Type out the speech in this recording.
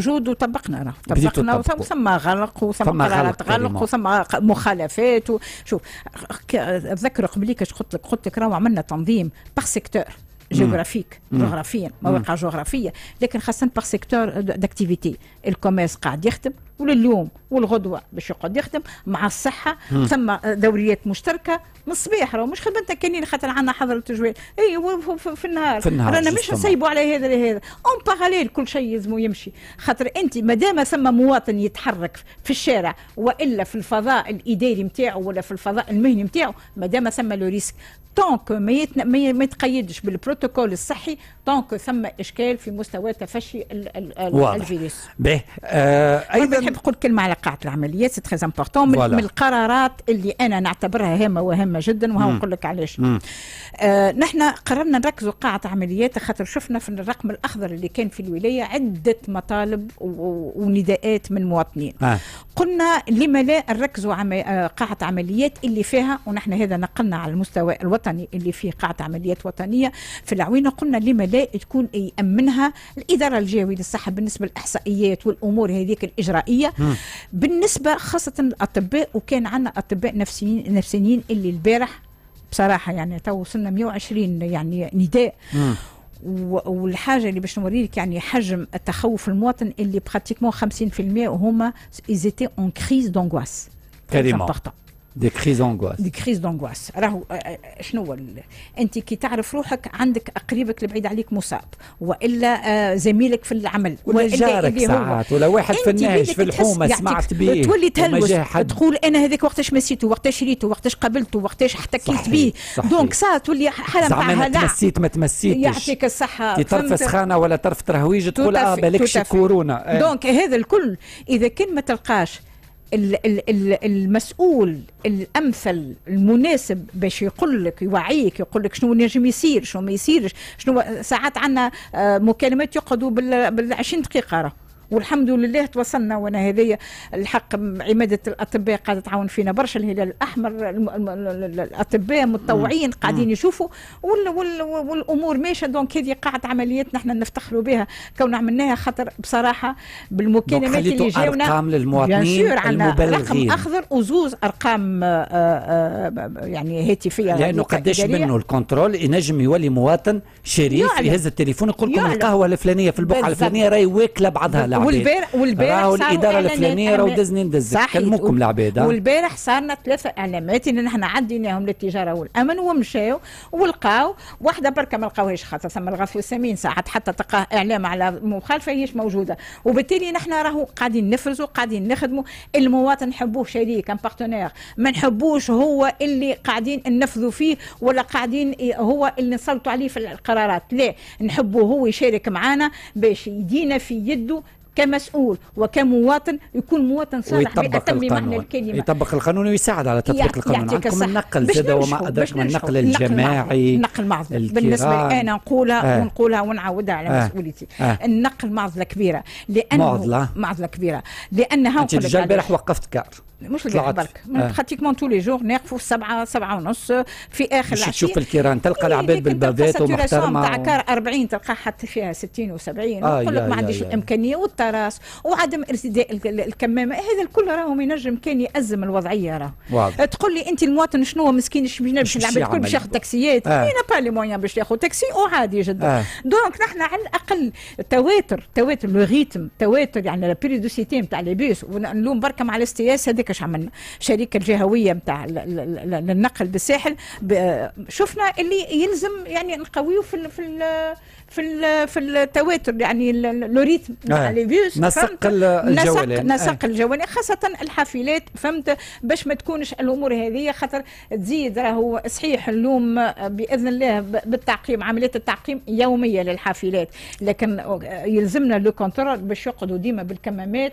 موجود وطبقنا راه. بديتوا طبقنا. تطبقوا. ثم غلق وثم ثم قرارات غلق غلق carrément. وثم مخالفات. شوف، اتذكر قبليك اش قلت لك؟ قلت لك راهو عملنا تنظيم par secteur géographique، جغرافيا، مواقع جغرافيه، لكن خاصة par secteur d'activité. ال commerce قاعد يخدم ولليوم والغدوه باش يقعد يخدم مع الصحه. ثم دوريات مشتركة من الصباح، راهو مش خدمتنا كاينين خاطر عندنا حظر التجوال، اي في النهار. في النهار رانا مش justement. نسيبوا على هذا لهذا، en parallèle كل شيء يلزم يمشي، خاطر انت ما دام ثم مواطن يتحرك في الشارع والا في الفضاء الاداري نتاعو ولا في الفضاء المهني نتاعو، ما دام ثم le risque، tant que ما يتقيدش بالبروتوكول الصحي، tant que ثم اشكال في مستوى تفشي الفيروس. به ايضا ايضا نحب نقول كلمة على قاعة العمليات، c'est très important، من القرارات اللي انا نعتبرها هامة وهامه جدا، وها نقول لك علاش. نحن قررنا نركزوا قاعة عمليات خاطر شفنا في الرقم الاخضر اللي كان في الولاية عده مطالب ونداءات من مواطنين. قلنا لما لا نركزوا قاعة عمليات اللي فيها، ونحن هذا نقلنا على المستوى الوطني اللي فيه قاعة عمليات وطنية في العوينه، قلنا لما لا تكون يامنها الادارة الجهوية للصحة بالنسبة للاحصائيات والامور هذيك الاجرائيه، بالنسبة خاصة الاطباء. وكان عندنا اطباء نفسيين اللي البارح بصراحة يعني تو وصلنا 120 يعني نداء. والحاجة اللي باش نوريك يعني حجم التخوف المواطن، اللي pratiquement 50% هما ils étaient en crise d'angoisse. carrément، des crises d'angoisse. des crises d'angoisse. راهو شنو هو؟ انت كي تعرف روحك عندك قريبك اللي بعيد عليك مصاب والا زميلك في العمل ولا وإلا جارك اللي هو ساعات ولا واحد في انت النهج بيدك في تحس الحومه يعطيك سمعت به تولي وما تهلوس. جاه حد. تقول انا هذاك وقتاش مسيته، وقتاش ريته، وقتاش قابلته، وقتاش احتكيت به. donc ça تولي حاله نتاع زعما أنا هلع. تمسيت ما تمسيتش. يعطيك الصحه. كي طرف فهمت؟ سخانه ولا طرف ترهويج تقول بالكش كورونا. donc هذا الكل اذا كان ما تلقاش المسؤول الامثل المناسب باش يقول لك، يوعيك، يقول لك شنو نجم يصير، شنو ما يصيرش، شنو ساعات عندنا مكالمات يقعدوا بال 20 دقيقة راه. والحمد لله توصلنا، وانا هذه الحق عماده الاطباء قاعدة تعاون فينا برشا، الهلال الاحمر، الاطباء متطوعين قاعدين يشوفوا والامور ماشيه. donc هذه قاعة عمليات نحن نفتخروا بها كون عملناها، خاطر بصراحة بالمكالمات اللي جاونا ارقام للمواطنين المبلغين، رقم اخضر وزوز ارقام يعني هاتفيه. لانه قداش منه ال contrôle ينجم يولي مواطن شريف يهز التليفون يقول لكم القهوة الفلانية في البقعة الفلانية راهي واكله بعضها العباد. والبارح راهو الادارة الفلانية راهو دزني ندزك، كلموكم العباد. والبارح صارنا ثلاثة اعلامات اللي نحن عديناهم للتجارة والامن ومشاو ولقاو واحدة بركة ما لقاوهاش، خاطر ثم الغث والسمين، ساعات حتى تلقاه اعلام على مخالفة هيش موجوده. وبالتالي نحن راهو قاعدين نفرزوا، قاعدين نخدموا. المواطن نحبوه شريك، un partenaire، ما نحبوش هو اللي قاعدين ننفذوا فيه ولا قاعدين هو اللي نسلطوا عليه في القرارات. لا، نحبه هو يشارك معنا باش يدينا في يده كمسؤول وكمواطن، يكون مواطن صالح بأتم معنى الكلمة، يطبق القانون ويساعد على تطبيق القانون. عندكم النقل زاد وما أدراك ما النقل الجماعي. النقل معضلة بالنسبة لي أنا، نقولها ونقولها ونعاودها على مسؤوليتي. النقل معضلة كبيرة لأنه معضلة معضلة كبيرة لأنها أنت déjà البارح وقفت car. مش البارح برك، pratiquement tous les jours نقفوا 7، 7:30 في اخر العشيه. تشوف الكيران تلقى العباد بال bavette ومحترمه. تاع car 40 تلقى حتى فيها 60 و70. يقول لك ما عنديش الامكانيه، وال terrasse وعدم ارتداء الكمامه، هذا الكل راهو ينجم كان يأزم الوضعية راه. تقول لي انت المواطن شنو مسكين باش العباد الكل باش ياخذ تاكسيات؟ n'a pas les moyens باش ياخذ تاكسي وعادي جدا. donc نحن على الاقل تواتر، تواتر le rythme، تواتر يعني la périodicité نتاع les bus. ونلوم بركة مع ال STS هذاك اش عملنا، الشركة الجهوية نتاع النقل بالساحل، شفنا اللي يلزم يعني نقويو في التواتر، يعني le rythme نتاع les bus. نسق الجولان. نسق الجولان، خاصة الحافلات، فهمت؟ باش ما تكونش الامور هذه خاطر تزيد. راهو صحيح اليوم باذن الله بالتعقيم، عملية التعقيم يومية للحافلات، لكن يلزمنا le contrôle باش يقعدوا ديما بالكمامات.